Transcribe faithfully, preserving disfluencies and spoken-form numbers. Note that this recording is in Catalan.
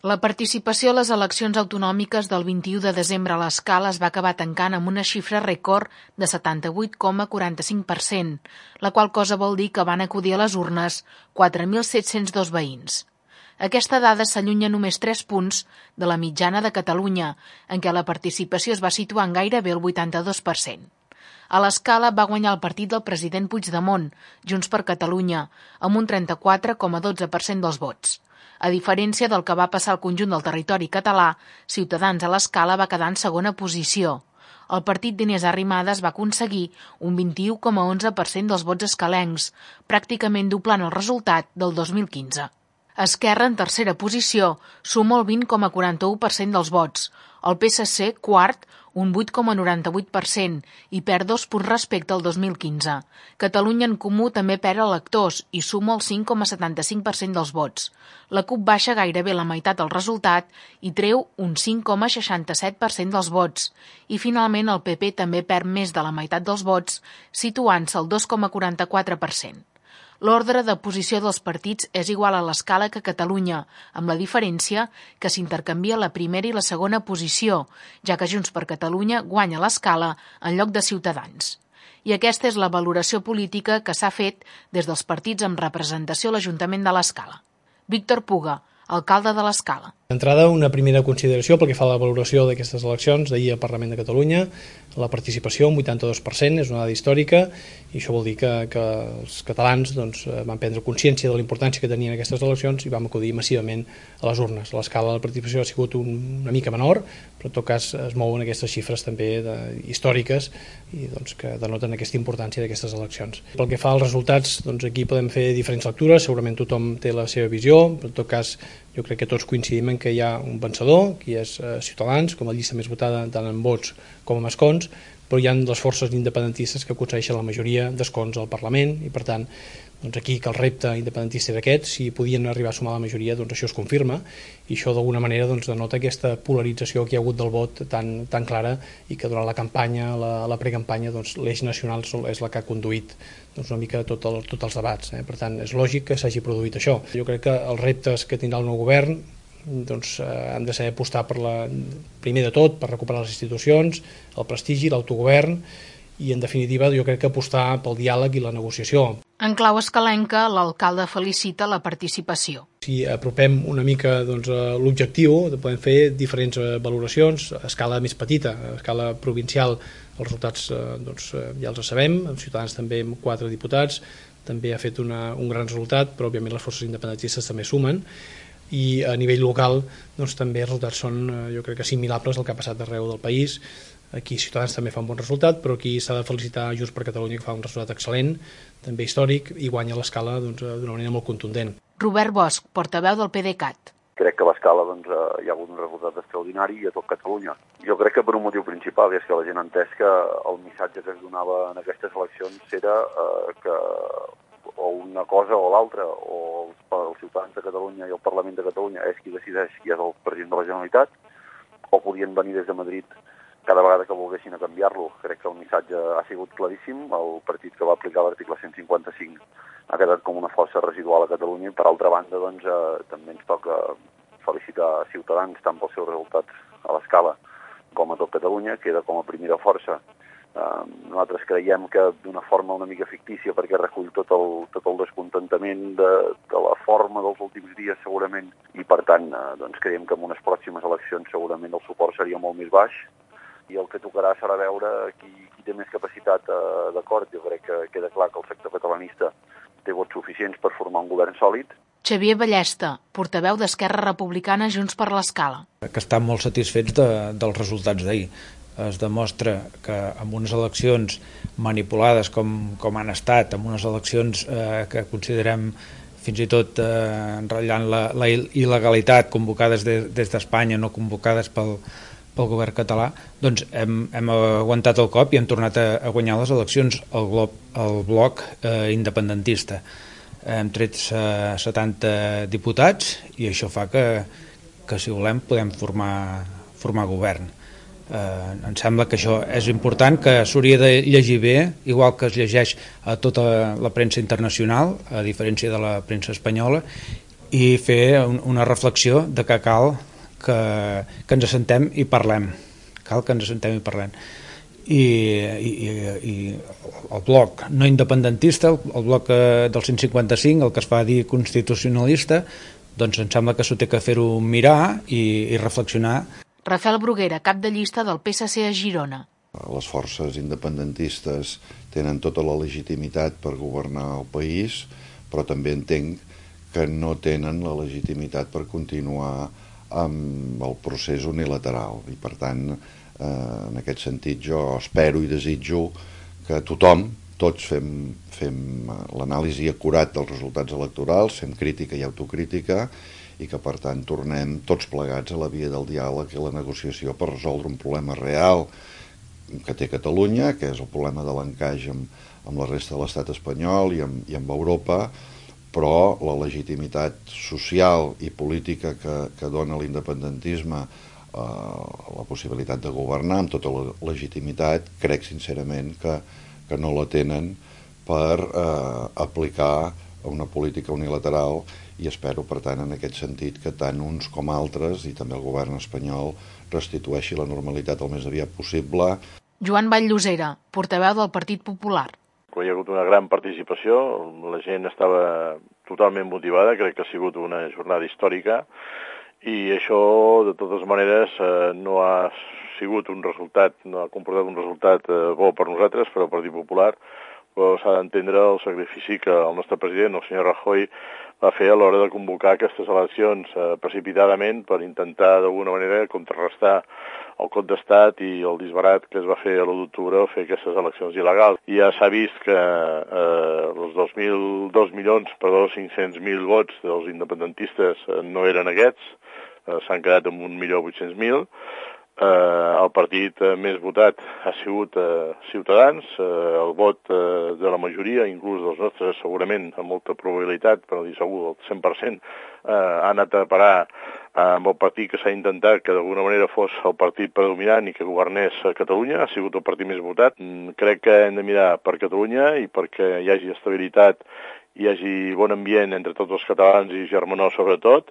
La participació a les eleccions autonòmiques del vint-i-u de desembre a l'Escala es va acabar tancant amb una xifra rècord de setanta-vuit coma quaranta-cinc per cent, la qual cosa vol dir que van acudir a les urnes quatre mil set-cents dos veïns. Aquesta dada s'allunya només tres punts de la mitjana de Catalunya, en què la participació es va situar en gairebé el vuitanta-dos per cent. A l'Escala va guanyar el partit del president Puigdemont, Junts per Catalunya, amb un trenta-quatre coma dotze per cent dels vots. A diferència del que va passar al conjunt del territori català, Ciutadans a l'Escala va quedar en segona posició. El partit d'Inés Arrimadas va aconseguir un vint-i-u coma onze per cent dels vots escalencs, pràcticament doblant el resultat del dos mil quinze. Esquerra, en tercera posició, suma el vint coma quaranta-u per cent dels vots. El P S C, quart, un vuit coma noranta-vuit per cent i perd dos punts respecte al dos mil quinze. Catalunya en Comú també perd electors i suma el cinc coma setanta-cinc per cent dels vots. La CUP baixa gairebé la meitat del resultat i treu un cinc coma seixanta-set per cent dels vots. I finalment el P P també perd més de la meitat dels vots, situant-se al dos coma quaranta-quatre per cent. L'ordre de posició dels partits és igual a l'Escala que a Catalunya, amb la diferència que s'intercanvia la primera i la segona posició, ja que Junts per Catalunya guanya l'Escala en lloc de Ciutadans. I aquesta és la valoració política que s'ha fet des dels partits amb representació a l'Ajuntament de l'Escala. Víctor Puga, alcalde de l'Escala. D'entrada, una primera consideració pel que fa a la valoració d'aquestes eleccions d'ahir al Parlament de Catalunya. La participació, un vuitanta-dos per cent, és una dada històrica i això vol dir que, que els catalans doncs, van prendre consciència de la importància que tenien aquestes eleccions i vam acudir massivament a les urnes. A l'Escala la participació ha sigut un, una mica menor, però en tot cas es mouen aquestes xifres també de, històriques i doncs, que denoten aquesta importància d'aquestes eleccions. Pel que fa als resultats, doncs, aquí podem fer diferents lectures, segurament tothom té la seva visió, però en tot cas jo crec que tots coincidim en que hi ha un vencedor, que és eh, Ciutadans, com a llista més votada tant en vots com en escons, però hi ha les forces independentistes que aconsegueixen la majoria d'escons al Parlament i per tant doncs aquí que el repte independentista era aquest, si podien arribar a sumar la majoria doncs això es confirma i això d'alguna manera doncs, denota aquesta polarització que hi ha hagut del vot tan, tan clara i que durant la campanya, la, la precampanya doncs, l'eix nacional és la que ha conduït doncs, una mica tot el, tots els debats, eh? Per tant és lògic que s'hagi produït això. Jo crec que els reptes que tindrà el nou govern doncs, eh, han de saber apostar per la, primer de tot per recuperar les institucions, el prestigi, l'autogovern i en definitiva jo crec que apostar pel diàleg i la negociació. En clau escalenca, l'alcalde felicita la participació. Si apropem una mica doncs, l'objectiu, podem fer diferents valoracions a escala més petita, a escala provincial els resultats doncs, ja els sabem, els Ciutadans també amb quatre diputats, també ha fet una, un gran resultat, però òbviament les forces independentistes també sumen i a nivell local doncs, també els resultats són jo crec que assimilables al que ha passat arreu del país. Aquí Ciutadans també fa un bon resultat, però aquí s'ha de felicitar Junts per Catalunya que fa un resultat excel·lent, també històric, i guanya l'Escala doncs, d'una manera molt contundent. Robert Bosch, portaveu del PDeCAT. Crec que a l'Escala doncs, hi ha hagut un resultat extraordinari a tot Catalunya. Jo crec que per un motiu principal, és que la gent ha entès que el missatge que es donava en aquestes eleccions era eh, que o una cosa o l'altra, o els, els ciutadans de Catalunya i el Parlament de Catalunya és qui decideix qui és el president de la Generalitat, o podien venir des de Madrid cada vegada que volguessin a canviar-lo. Crec que el missatge ha sigut claríssim. El partit que va aplicar l'article cent cinquanta-cinc ha quedat com una força residual a Catalunya i, per altra banda, doncs, eh, també ens toca felicitar Ciutadans tant pels seus resultats a l'Escala com a tot Catalunya, queda com a primera força. Eh, nosaltres creiem que d'una forma una mica fictícia perquè recull tot el, tot el descontentament de, de la forma dels últims dies segurament i, per tant, eh, doncs creiem que en unes pròximes eleccions segurament el suport seria molt més baix i el que tocarà serà veure qui, qui té més capacitat eh, d'acord. Jo crec que queda clar que el sector catalanista té vots suficients per formar un govern sòlid. Xavier Ballesta, portaveu d'Esquerra Republicana Junts per l'Escala. Que estan molt satisfets de, dels resultats d'ahir. Es demostra que amb unes eleccions manipulades com, com han estat, amb unes eleccions eh, que considerem fins i tot eh, enratllant la, la il·legalitat, convocades de, des d'Espanya, no convocades pel pel govern català, doncs hem, hem aguantat el cop i hem tornat a, a guanyar les eleccions al, glob, al bloc eh, independentista. Hem tret eh, setanta diputats i això fa que, que si volem, podem formar, formar govern. Eh, em sembla que això és important, que s'hauria de llegir bé, igual que es llegeix a tota la premsa internacional, a diferència de la premsa espanyola, i fer una reflexió de que cal que, que ens assentem i parlem. Cal que ens assentem i parlem. I, i, i el bloc no independentista, el bloc del cent cinquanta-cinc, el que es fa dir constitucionalista, doncs em sembla que s'ho té que fer-ho mirar i, i reflexionar. Rafael Bruguera, cap de llista del P S C a Girona. Les forces independentistes tenen tota la legitimitat per governar el país, però també entenc que no tenen la legitimitat per continuar amb el procés unilateral. I per tant, eh, en aquest sentit, jo espero i desitjo que tothom, tots fem, fem l'anàlisi acurat dels resultats electorals, fem crítica i autocrítica, i que per tant tornem tots plegats a la via del diàleg i la negociació per resoldre un problema real que té Catalunya, que és el problema de l'encaix amb, amb la resta de l'estat espanyol i amb, i amb Europa, però la legitimitat social i política que, que dona l'independentisme, eh, la possibilitat de governar amb tota la legitimitat, crec sincerament que, que no la tenen per eh, aplicar una política unilateral, i espero, per tant, en aquest sentit, que tant uns com altres, i també el govern espanyol, restitueixi la normalitat el més aviat possible. Joan Vall-Llosera, portaveu del Partit Popular. Hi ha hagut una gran participació, la gent estava totalment motivada, crec que ha sigut una jornada històrica, i això, de totes maneres, no ha sigut un resultat, no ha comportat un resultat bo per nosaltres, per al Partit Popular, però s'ha d'entendre el sacrifici que el nostre president, el senyor Rajoy, va fer a l'hora de convocar aquestes eleccions eh, precipitadament per intentar d'alguna manera contrarrestar el cop d'estat i el disbarat que es va fer a l'u d'octubre a fer aquestes eleccions il·legals. I ja s'ha vist que eh, els dos mil dos milions, perdó, cinc-cents mil vots dels independentistes eh, no eren aquests, eh, s'han quedat amb un milió vuit-cents mil. Eh, el partit eh, més votat ha sigut eh, Ciutadans, eh, el vot eh, de la majoria, inclús dels nostres, segurament amb molta probabilitat, per no dir segur, el cent per cent, eh, ha anat a parar eh, amb el partit que s'ha intentat que d'alguna manera fos el partit predominant i que governés a Catalunya, ha sigut el partit més votat. Mm, crec que hem de mirar per Catalunya i perquè hi hagi estabilitat, hi hagi bon ambient entre tots els catalans i germanor sobretot.